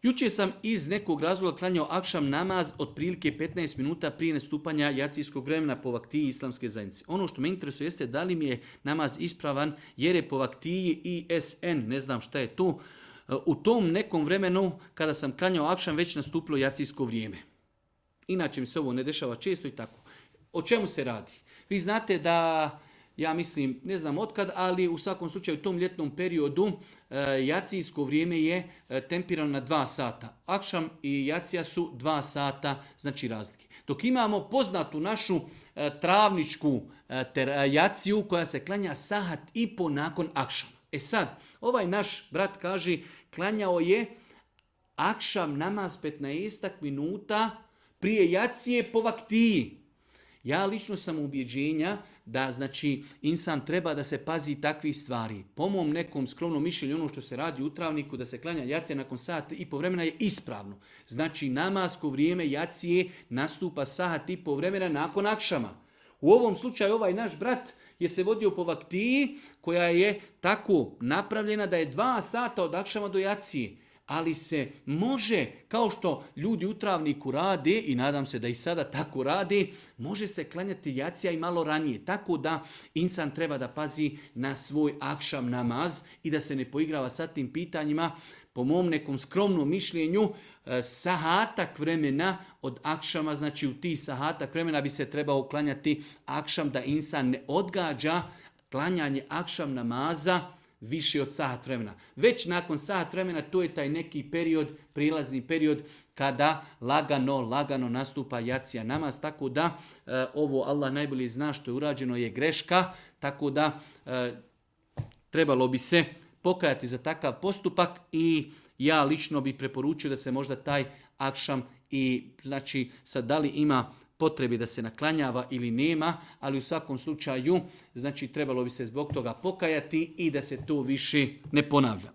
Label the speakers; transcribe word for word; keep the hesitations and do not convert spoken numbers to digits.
Speaker 1: Jučer sam iz nekog razloga klanjao akšam namaz otprilike petnaest minuta prije nastupanja jacijskog vremena po vaktiji islamske zajednice. Ono što me interesuje jeste da li mi je namaz ispravan jer je po vaktiji I S N, ne znam šta je to. U tom nekom vremenu kada sam klanjao akšam već nastupilo jacijsko vrijeme. Inače mi se ovo ne dešava često i tako. O čemu se radi? Vi znate da, ja mislim, ne znam otkad, ali u svakom slučaju u tom ljetnom periodu e, jacijsko vrijeme je e, tempirano na dva sata. Akšam i jacija su dva sata, znači razlike. Dok imamo poznatu našu e, travničku e, ter, e, jaciju koja se klanja sahat i po nakon akšama. E sad, ovaj naš brat kaže, klanjao je akšam namaz petnaest minuta prije jacije po vaktiji. Ja lično sam ubjeđenja da znači insan treba da se pazi takvih stvari. Po mom nekom skromnom mišljenju ono što se radi u travniku da se klanja jacija nakon sat i po vremena je ispravno. Znači namasko vrijeme jacije nastupa sat i po vremena nakon akšama. U ovom slučaju ovaj naš brat je se vodio po vaktiji koja je tako napravljena da je dva sata od akšama do jacije. Ali se može, kao što ljudi u travniku rade, i nadam se da i sada tako rade, može se klanjati jacija i malo ranije. Tako da insan treba da pazi na svoj akšam namaz i da se ne poigrava sa tim pitanjima. Po mom nekom skromnom mišljenju, sahatak vremena od akšama, znači u ti sahatak vremena bi se trebao klanjati akšam da insan ne odgađa klanjanje akšam namaza više od sat vremena. Već nakon sat vremena to je taj neki period, prilazni period kada lagano, lagano nastupa jacija namaz. Tako da e, ovo Allah najbolje zna što je urađeno je greška, tako da e, trebalo bi se pokajati za takav postupak i ja lično bi preporučio da se možda taj akšam i znači sad da li ima potrebi da se naklanjava ili nema, ali u svakom slučaju znači trebalo bi se zbog toga pokajati i da se to više ne ponavlja.